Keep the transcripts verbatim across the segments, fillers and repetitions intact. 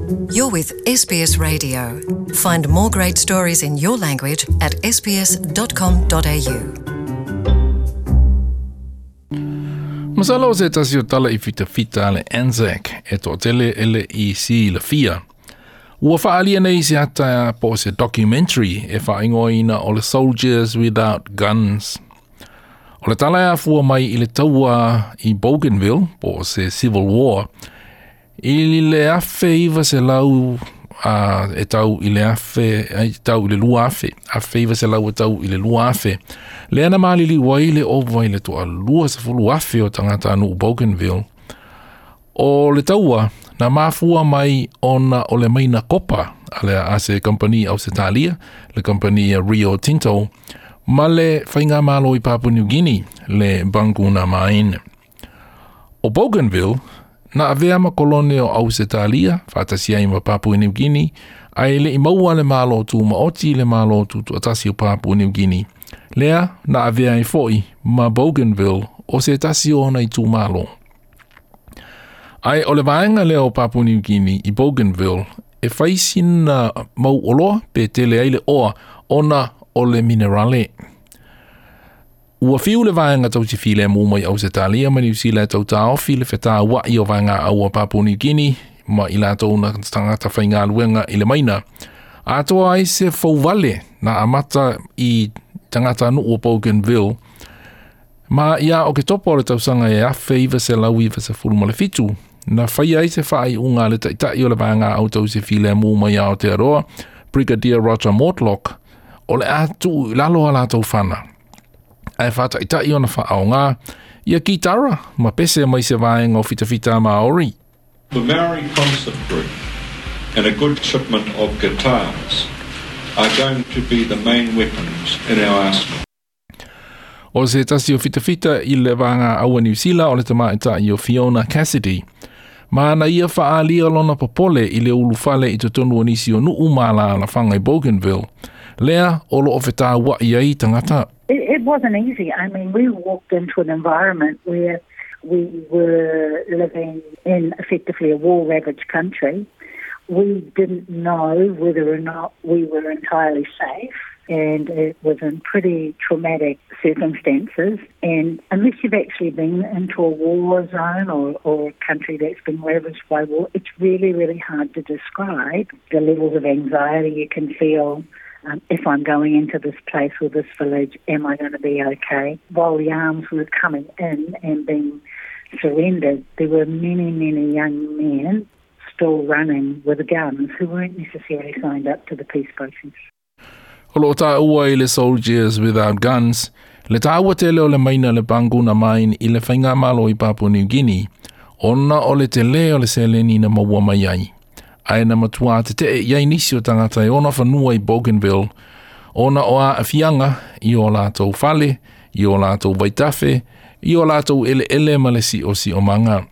You're with S B S Radio. Find more great stories in your language at S B S dot com dot A U. Masalo o se tasi o tala i fitafita a le Anzac e toatele e le i silafia. Ua faalia nei se ata po o se documentary e faaigoaina o le Soldiers Without Guns. O le tala e afua mai i le taua i Bougainville, po o se Civil War, i le afe iva selau uh, e tau i le afe, e tau i le lua afe, afe iva selau e tau i le lua afe. Lea na maliliu ai le ova i le toalua sefulu afe o tagatanuu Bougainville. O le taua, na mafua mai ona o le maina kopa a le a se kampani Ausetalia, le kampani Rio Tinto, ma le faigamalo i Papua New Guinea, le Panguna Mine. O Bougainville, na avea ma kolone o Ausetalia, faatasi ai ma Papua New Guinea, ae le i maua le malo tumaoti le malo tutoatasi o Papua New Guinea. Lea na avea ai foi ma Bougainville o se tasi o ona itumalo. Ae o le vaega lea o Papua New Guinea i Bougainville e fai sina mau oloa pe tele ai le oa ona o le minerale. Ua fiu le vaega tausi filemu mai Ausetalia ma Niu Sila e tautaofi le fetaua'i o vaegāau a Papua New Guinea ma i latou na tagata faigaluega i le maina. Atoa ai se fouvale na amata i tagatanuu o Bougainville ma ia Oketopa o le tausaga e afe iva selau iva sefulu ma le fitu na faia ai se faaiuga a le taitai o le vaegāau tausi filemu mai Aotearoa, Brigadier Roger Mortlock, o le a tuu i lalo a latou fana. Ae faataitai ona faaaogā ia kitara ma pese mai se vaega o fitafita Maori. The Maori Concert Group and a good shipment of guitars are going to be the main weapons in our arsenal. O se tasi o fitafita i le vagāau a Niu Sila o le tamaitai o Fiona Cassidy. Ma na ia faaalia lona popole i le ulufale i totonu o nisi o nuu ma alaalafaga i Bougainville. Lea o loo fetaua'i ai tagata. It, it wasn't easy. I mean, we walked into an environment where we were living in effectively a war ravaged country. We didn't know whether or not we were entirely safe, and it was in pretty traumatic circumstances. And unless you've actually been into a war zone or, or a country that's been ravaged by war, it's really, really hard to describe the levels of anxiety you can feel. Um, if I'm going into this place or this village, am I going to be okay? While the arms were coming in and being surrendered, there were many, many young men still running with guns who weren't necessarily signed up to the peace process. O loo taua i le Soldiers Without Guns, le taua tele o le maina le Panguna Mine i le faigamalo i Papua New Guinea, ona o le tele o le seleni na maua mai ai. Ae na matuā tetee i ai nisi o tagata e ona fanua i Bougainville, ona o aafiaga i o latou fale, i o latou vaitafe, i o latou eleele ma le siosiomaga.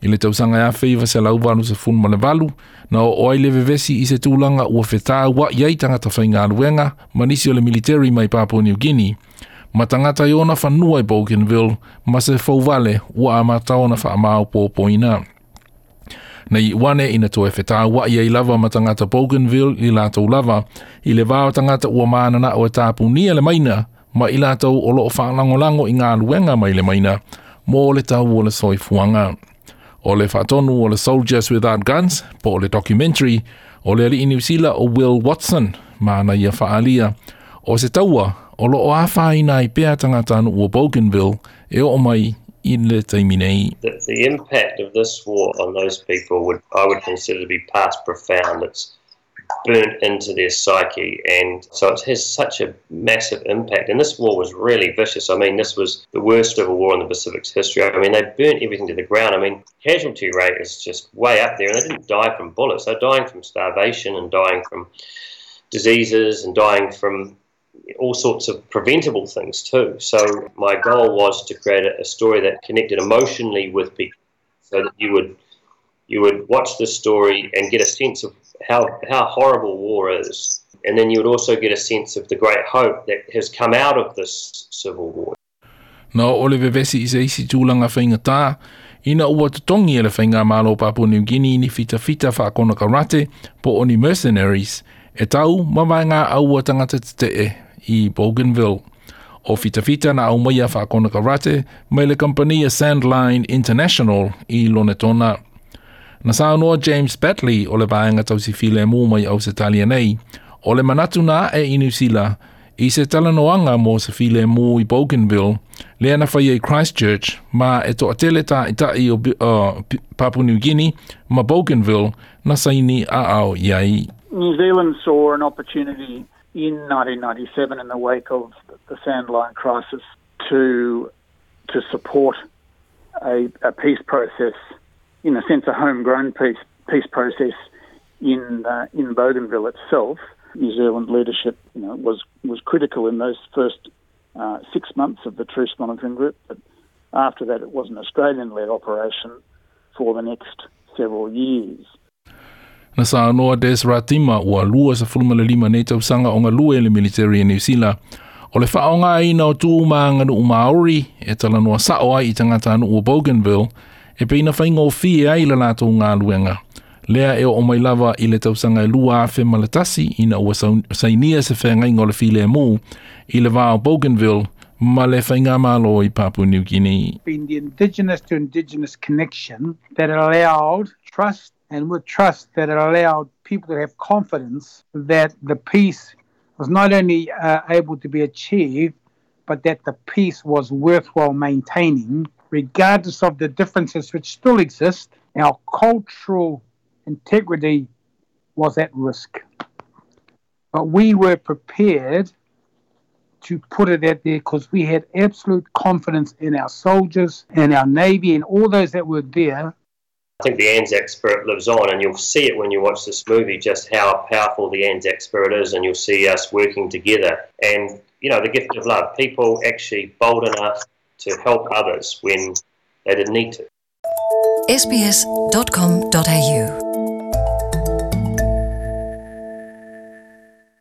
I le tausaga e afe iva selau valu sefulu ma le valu, na oo ai le vevesi i se tulaga ua fetaua'i ai tagata faigaluega ma nisi o le military mai Papua New Guinea, ma tagata i ona fanua i Bougainville ma se fouvale ua amata ona faamaopoopoina. Na iu ane ina toe fetaua'i ai lava ma tagata Bougainville i latou lava, i le va o tagata ua mananao e tapunia le maina, ma i latou o loo faalagolago i galuega mai le maina, mo le tau o le soifuaga. O le faatonu o le Soldiers Without Guns, po o le documentary, o le alii Niu Sila o Will Watson, ma na ia faalia. O se taua, o loo afaina ai pea tagatanuu o Bougainville e oo mai i le taimi nei. The, the impact of this war on those people would I would consider to be past profound. It's burnt into their psyche, and so it has such a massive impact. And this war was really vicious. I mean, this was the worst civil war in the Pacific's history. I mean, they burnt everything to the ground. I mean, casualty rate is just way up there, and they didn't die from bullets. They're dying from starvation and dying from diseases and dying from all sorts of preventable things too. So my goal was to create a, a story that connected emotionally with people, so that you would you would watch the story and get a sense of how how horrible war is, and then you would also get a sense of the great hope that has come out of this civil war. Na o le vevesi i se isi tulaga faigatā Ina ua totogi e le Faigamalo Papua New Guinea ni fitafita faakonekarate po o ni mercenaries e tau ma vaegaau a tagata tetee i Bougainville. O fitafita na aumaia faakonekarate mai le kamupani a Sandline International i Lonetona. Na saunoa James Batley o le vaega tausi filemu mai Ausetalia nei, o le manatu na ae i Niu Sila i se talanoaga mo se filemu i Bougainville, lea na faia i Christchurch, ma e toatele taitai o uh, Papua New Guinea ma Bougainville na saini aao i ai. New Zealand saw an opportunity in nineteen ninety-seven in the wake of the Sandline crisis to, to support a, a peace process, in a sense a homegrown peace, peace process in, uh, in Bougainville itself. New Zealand leadership, you know, was, was critical in those first uh, six months of the Truce Monitoring Group, but after that it was an Australian-led operation for the next several years. Na saunoa Des Ratima ua lua sefulu ma le lima nei tausaga o galue i le military e Niu Sila. O le faaaogaina o tu ma aganuu Maori e talanoa sao ai i tagatanuu o Bougainville e pei na faigofie ai le latou galuega. Lea e oo mai lava i le tausaga e lua afe ma le tasi ina ua sainia se feagaiga o le filemu i le va o Bougainville ma le Faigamalo i Papua New Guinea. Been the indigenous to indigenous connection that allowed trust, and with trust that it allowed people to have confidence that the peace was not only uh, able to be achieved, but that the peace was worthwhile maintaining, regardless of the differences which still exist. Our cultural integrity was at risk. But we were prepared to put it out there because we had absolute confidence in our soldiers and our Navy and all those that were there. I think the Anzac spirit lives on, and you'll see it when you watch this movie, just how powerful the Anzac spirit is, and you'll see us working together. And, you know, the gift of love, people actually bold enough to help others when they didn't need to. S B S dot com dot A U